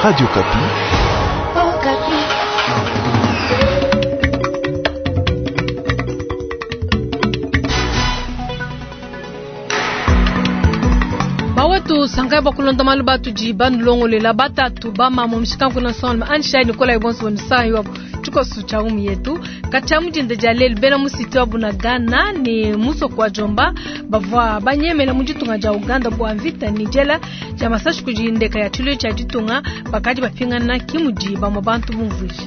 Radio Okapi. Bawetu sankai bakulonda malu batudi banulongolela batatu bamama mushikanku na nsonga anshai nikola ibonso bonusayi wabo tshikoso tshia umu yetu katshia mudinda dia lelu bena musiti wa Bunagana ne musoko wa Jomba bavua banyemela mu ditunga dia Uganda bua mvita ne diela dia masashi kudi ndeka ya tshiluilu tshia ditunga bakadi bapingana ki mudi bamue bantu bumvuija.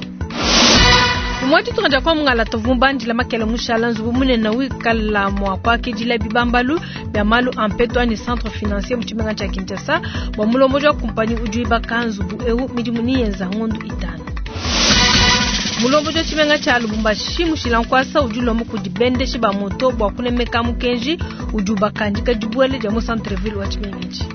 Mwa ditunga dia kwa mungala tuvua mubandila makele mushala nzubu munene wikala mua kuakidila bibambalu bia malu a mpetu anyi centre financier mu tshimenga tshia Kinshasa bua mulombodi wa kumpanyi udi wibaka nzubu eu midimu niyenza ngondu itanu. Mulombodi wa tshimenga tshia Lubumbashi mushila nkuasa udi ulomba kudi bendeshi ba moto bua kunemeka mukenji udi ubakandika dibuela dia mu centre ville wa tshimenga etshi.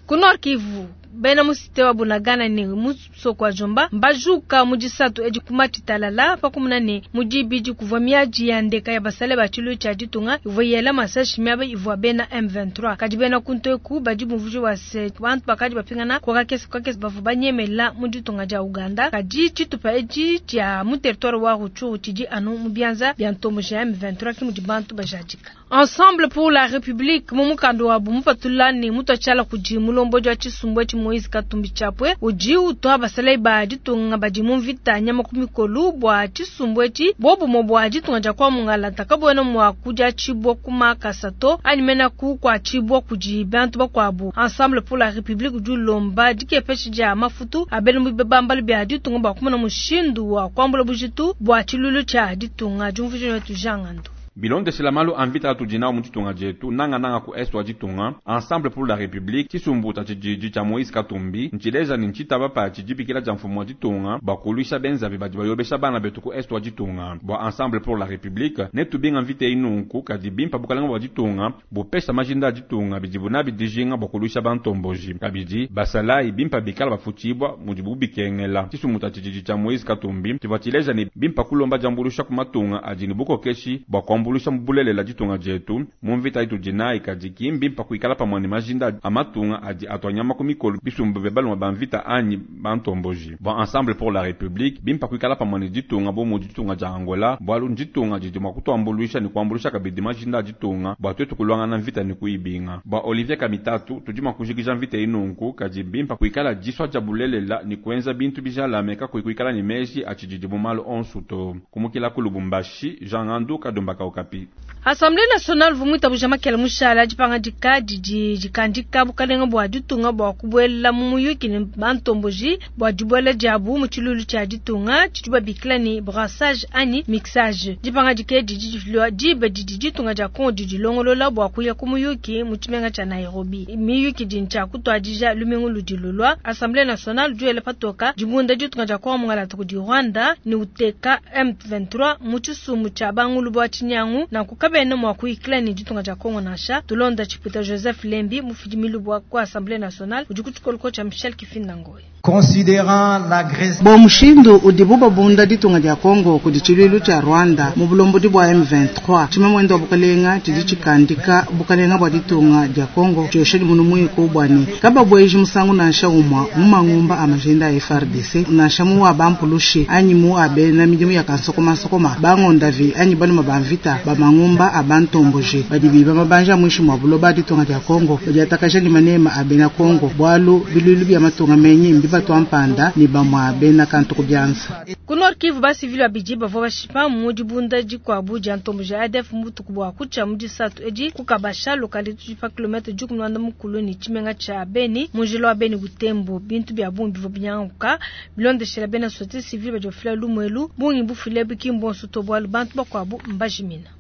Ku Nord Kivu bena mu cité wa Bunagana ne musoko wa Jomba mbajuka mu disatu edi ku Matshitalala pa kumuna ne mu dibidi kuvua miadi ya ndeka ya basale ba tshiluilu tshia ditunga ivua yela masashi miaba ivua bena M23. Kadi bena kuntu eku badi bumvuija bua se bantu bakadi bapingana ku kakese ku kakese bavua banyemela mu ditunga dia Uganda. Kadi tshitupa etshi tshia mu territoire wa Rutshuru tshidi anu mu bianza bia ntomboji ya M23 ke mudi bantu bajadika. Ensemble pour la République mu mukanda wabu mupatula ne mutua tshiala kudi mulombodi wa tshisumbu etshi Moïse Katumbi Chapwe udi utua basalayi ba ditunga badi mu mvita nyama ku mikolu bua tshisumbu etshi bobumue bua ditunga dia kwa mungalata kabuena mua kudiatshibua ku makasa to anyi mena kukuatshibua kudi bantu bakuabu. Ensemble pour la République udi ulomba dikepesha dia mafutu a bena mu bibambalu bia ditunga bua kumona mushindu wa kuambula bujitu bua tshiluilu tshia ditunga. Diumvuija wetu Jean Ngandu. Bilondeshela malu a mvita atudi nawu mu ditunga dietu, nangananga ku est wa ditunga, Ensemble pour la République, tshisumbu tshia tshididi tshia Moïse Katumbi, ntshileja ne ntshitaba patshi dibikila dia mfumu wa ditunga bua kuluisha benzavi badi bayobesha bana betu ku est wa ditunga. Bua Ensemble pour la République, netubinga mvita eyi nunku, kadi bimpa bukalenga bua ditunga bupesha majinda a ditunga bidibu nabi dijinga bua kuluisha bantomboji. Kabidi, basalayi bimpa bikala bafutshibua mudibu bikengela. Tshisumbu tshia tshididi tshia Moïse Katumbi tshivua tshileja ne bimpa kulomba diambuluisha ku matunga adi ne bukokeshi bua kuambuluisha mu bulelela ditunga dietu mu mvita itudi nayi, kadi ki mbimpa kuikala pamue ne majinda a matunga adi atua nyama ku mikolo bisumbu bia baluma ba mvita anyi bantomboji. Bua Ensemble pour la République, bimpa kuikala pamue ne ditunga bu mudi ditunga dia Angola, bualu nditunga didi mua kutuambuluisha ne kuambuluisha kabidi majinda a ditunga bua tuetu kuluangana mvita ne kuyibinga. Bua Olivier Kamitatu, tudi mua kujikija mvita eyi nunku, kadi mbimpa kuikala disua dia bulelela ne kuenza bintu bijalame kakuyi kuikala ne meji a tshididi mu malu onsu to. Kumukila ku Lubumbashi, Jean Ngandu, Kadumba ka Okapi. Assemblee nationale uvua muitabuja makela mushala dipangadika didi dikandika bukalenga bua ditunga bua kubuela mu muyuki ne bantomboji bua dibuela diabu mu tshiluilu tshia ditunga tshidi babikila ne brassage anyi mixage. Dipangadika edi didi difilua diba didi ditunga dia Congo didilongolola bua kuya ku muyuki mu tshimenga tshia Nairobi. Miyuki idi ntshia kutuadija lumingu ludi lulua. Assemblee nationale udi wela patoka dibunda ditunga dia Congo mungalata kudi Rwanda ne uteka M23 mu tshisumbu tshia bangulu bua tshinyangu, nanku kabena mua kuyikila ne ditunga dia Congo nansha. Tulonda tshipuita Joseph Lembi mufidi milubu wa ku Assemblee nationale udi ku tshikoloko tshia Michel Kifinda Ngoyi. Considérant l'agression Bua mushindu udibu babunda ditunga dia Congo kudi tshiluilu tshia Rwanda mu bulombodi bua M23, tshimamuende wa bukalenga tshidi tshikandika bukalenga bua ditunga dia Congo tshiosha dimunu muiku bua ne kababueji musangu nansha umua mu mangumba a majinda a FARDC nansha mu wa bampulushi anyi mu a bena midimu ya kansokomansokoma bangondavi anyi baluma ba mvita ba mangumba a bantomboji badi biba mabanja a muinshi mua buloba a ditunga dia Congo badiatakaja ne manema a bena Congo bualu biluilu bia matunga menyi mbibatua mpanda ne bamua bena kantu ku bianza. Ku Nord Kivu basivili babidi bavua bashipa mu dibunda dikuabu dia ntomboji ya ADF mu butuku bua kutshia mu disatu edi ku Kabasha localité tudi pa kilomètre 16 ne tshimenga tshia Beni mu njila wa Beni Butembo. Bintu bia bungi bivua binyanguka bilondeshela bena société civile badi bafila lumuelu bungi bufile ki mbonso to bualu bantu bakuabu mbajimina.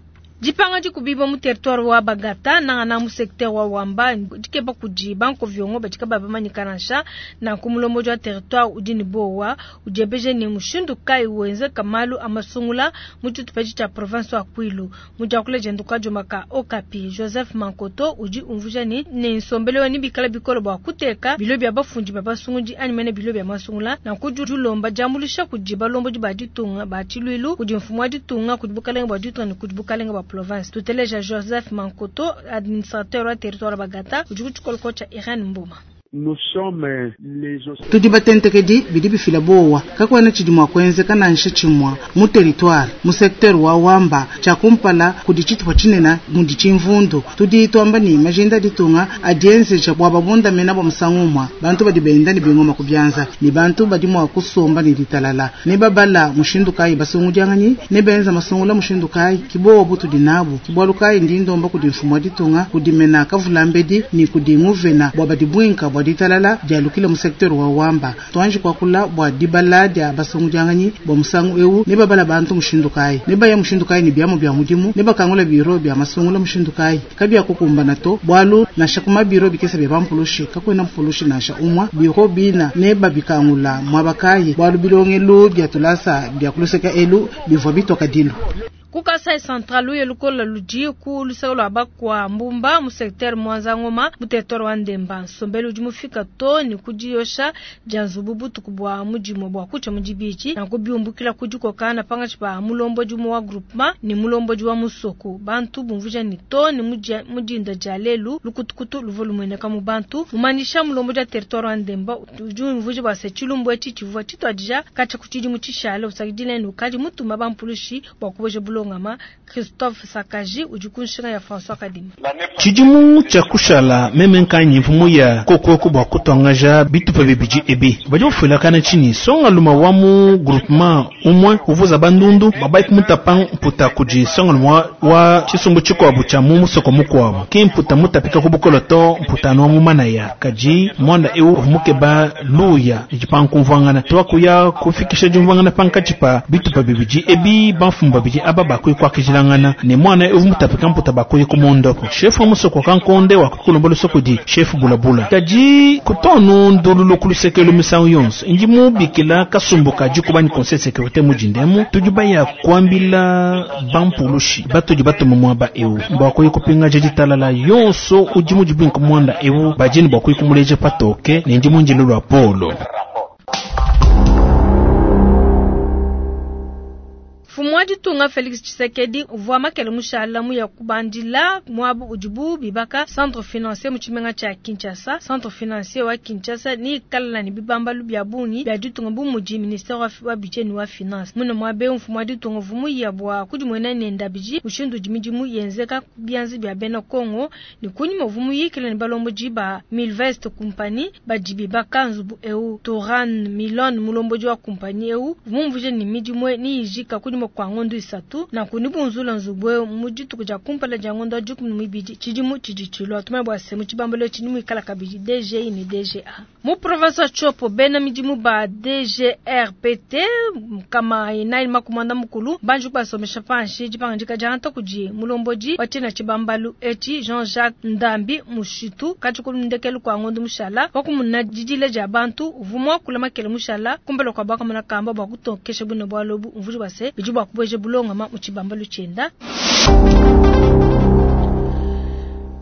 Dipanga dikubibua mu territoire wa Bagata nangana mu secteur wa Wamba dikeba kudi bankoviongo badi kabayi bamanyika nansha. Nanku mulombodi wa territoire udi ne bowa udiebeja ne mushindu kayi wenzeka malu a masungula mu tshitupa etshi tshia province wa Kwilu. Mu diakula diende ku kadioma ka Okapi, Joseph Mankoto udi umvuija ne, ne nsombelu wa nebikala bikole bua kuteka bilo bia bafundi ba basungudi anyi mene bilo bia masungula. Nanku udi ulomba diambuluisha kudi balombodi ba ditunga ba tshiluilu, kudi mfumu wa ditunga, kudi bukalenga bua ditunga ne kudi bukalenga bua. province. Tuteleja Joseph Mankoto, administrateur wa territoire wa Bagata, udi ku tshikoloko tshia Irene Mboma. Tudi batentekedi bidi bifila bowa kakuena tshidi mua kuenzeka nansha tshimua mu territoire mu secteur wa Wamba tshia kumpala kudi tshitupa tshinene mudi tshimvundu. Tudi tuamba ne majinda ditunga adienzeja bua babundamena bua musangu umue bantu badi benda ne bingoma ku bianza ne bantu badi mua kusomba ne ditalala ne babala mushindu kayi basungudianganyi ne benza masungula mushindu kayi kibowa butudi nabu kibualu kayi ndi ndomba kudi mfumu wa ditunga kudi mena kavulambedi ne kudi nguvena bua badi bwinka bua ditalala dialukile mu secteur wa Wamba. Tuanji kuakula bua dibala dia basungudianganyi bua musangu eu ne babala bantu mushindu kayi ne baya mushindu kayi ne biamu bia mudimu ne bakangula biro bia masungula mushindu kayi kabia kukumbana to bualu nansha kuma biro bikesa bia bampulushi kakuena mpulushi nansha umwa biro bina ne babikangula mwaba kayi bualu bilongelu bia tulasa bia kuluseka elu bivua bitoka dilu. Ku Kasai Central luye lukola ludi ku luseke lua bakwa Mbumba mu secteur Mwanza Ngoma mu territoire wa Ndemba. Nsombelu udi mufika to ne ku diyosha dia nzubu butuku bua mudimu bua kutsha mu dibidi nanku biumbukila ku dikokana pangatshi pa mulombodi umue wa groupement ne mulombodi wa musoko. Bantu bumvuija ne to ne mu dinda dia lelu lukutukutu luvua lumueneka mu bantu. Mumanyisha mulombodi wa territoire wa Ndemba udi umvuija bua se tshilumbu etshi tshivua tshituadija katshia ku tshidimu tshishale usakidile ne ukadi mutuma bampulushi bua kuboja bulongama. Christophe Sakaji udi ku nshinga ya François Kadima. Tshidimu tshia kushala meme nkanyi mfumu ya kokoko bua kutuangaja bitupa bibidi ebi badi bafuilakana tshinyi songa luma wa mu groupement umwe uvuza bandundu babai kumutapa mputa kudi songa luma wa tshisumbu tshikuabu tshia mu musoko mukuabu ki mputa mutapika ku bukolo to mputa wa mu manaya kadi mwanda eu mukeba luya idi pankumvuangana twakuya kufikisha diumvuangana pankatshi pa bitupa bibidi ebi bamfumu babidi aba bakui kuakijilangana ne mwana eu mutapika mputa bakui kumondoko chef wa musoko kankonde wa kukulomba lusoko di chef bulabula kadi kutonu ndululu kulusekelo misangu yonso ndi mubikila kasumbuka dikubani conseil de sécurité mujindemu tudi baya kuambila bampulushi batudi batuma mwaba eu bakui kupinga ditalala yonso udi mudibinka mwanda eu bajini bakui kumuleja patoke ne ndi munjilo lwa polo. Mfumu wa ditunga Felix Tshisekedi uvua makele mushala mu ya kubandila muabu udibu bibaka centre financier mu tshimenga tshia Kinshasa. Centre financier wa Kinshasa ni kalala ne bibambalu bia bungi bia ditunga bu mudi ministère wa budget ne wa finance. Muna muabe mfumu wa ditunga uvua ya bua kudimuena ne ndabiji mushindu udi midimu yenzeka bianzi bia bena Kongo ne kunyima uvua muyikile ne balombodi ba Milvest Company badi bibaka nzubu eu Toran Milon mulombodi wa compagnie eu mumvuje ne midimu ni yijika kunyima kwa ngondo isatu na kunibunzula nzubwe mu dituku dia kumpala dia ngondo dikumi ne mibidi tshidimu tshidi tshilua tumanye bua se mu tshibambalo tshidi muikala kabidi DGI ne DGA mu province ya Tshopo bena midimu ba DGRPT kama inayi makumanda mukulu banji kubasomesha panshi dipangandika dia anta kudi mulombodi wa tshina tshibambalu etshi Jean-Jacques Ndambi Mushitu katshikulu ndekelu kwa ngondo mushala wakumuna didile dia bantu uvumwa kula makele mushala kumbela kwa bakamana kamba bua kutokesha bune bua lobu mvuji bua se bidi bua kuboja bulongama mu tshibambalu tshienda.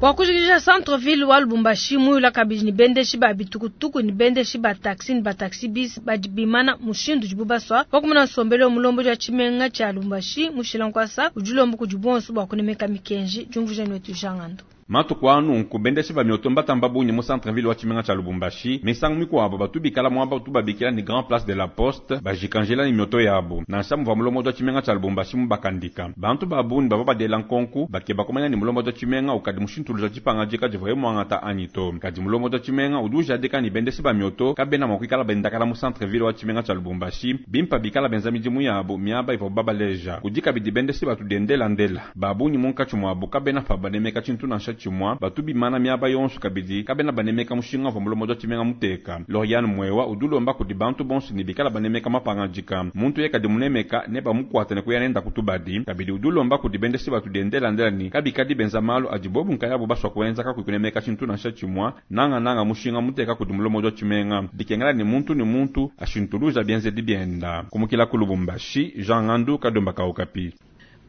Bua kujikija centre-ville wa Lubumbashi muyula kabidi ne bendeshi ba bitukutuku ne bendeshi ba taxi ne ba taxi bis badi bimana mushindu udibu basua wakumuna nsombelu wa mulombodi wa tshimenga tshia Lubumbashi mushila nkwasa udi ulomba kudi bonso bua kunemeka mikenji diumvuija netu Jean Ngando. Matuku anu bendeshi ba mioto mbatamba bungi mu centre-ville wa tshimenga tshia Lubumbashi misangu mikuabo batubikala mwaba tubabikila ni Grand Place de la Poste bajikanjela ni mioto yabo nansha muva mulombodi wa tshimenga tshia Lubumbashi mubakandika bantu babuni bava badela nkonku bakeba kumanya ni mulombodi wa tshimenga ukadi mushintuluza tshipangajika divuaye muangata anyi to kadi mulombodi wa tshimenga udi ujadika ni bendeshi ba mioto kabena mua kuikala bendakala mu centre-ville wa tshimenga tshia Lubumbashi bimpa bikala benza midimu yabo miaba ivua babaleja kudi kabidi bendeshi batudiendelandela babungi munkatshi muabo kabena pa banemeka tshintu nansha tshimwa batu bimana miaba yonso kabidi kabena banemeka mushinga wa mulombodi wa tshimenga muteka Loriane Mwewa udulomba kudi bantu bonso ne bikala banemeka mapangajika muntu ye kadi munemeka ne bamukwata ne kuya nenda kutubadi kabidi udulomba kudi bendeshi batudiendelandela ni kabikadi benza malu adi bobu nkayabo baswa kuenza kakuyi kunemeka tshintu nansha tshimwa nanga nanga mushinga muteka kudi mulombodi wa tshimenga dikengela ni muntu ashintuluja bienzedi bienda kumukila ku Lubumbashi Jean Ngandu Kadomba Kaukapi.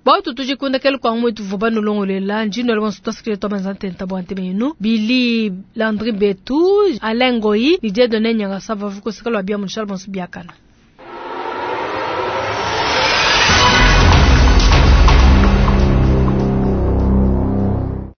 Bautu tujikundekele kwa mwetu vuba nulongolela njino lwa nsuta to banzante ntabwa ntemenu Billy Landry Betu Alain Goyi ni Dieudonné Nyanga sava vuko sikalo bia munshala bonso biakana.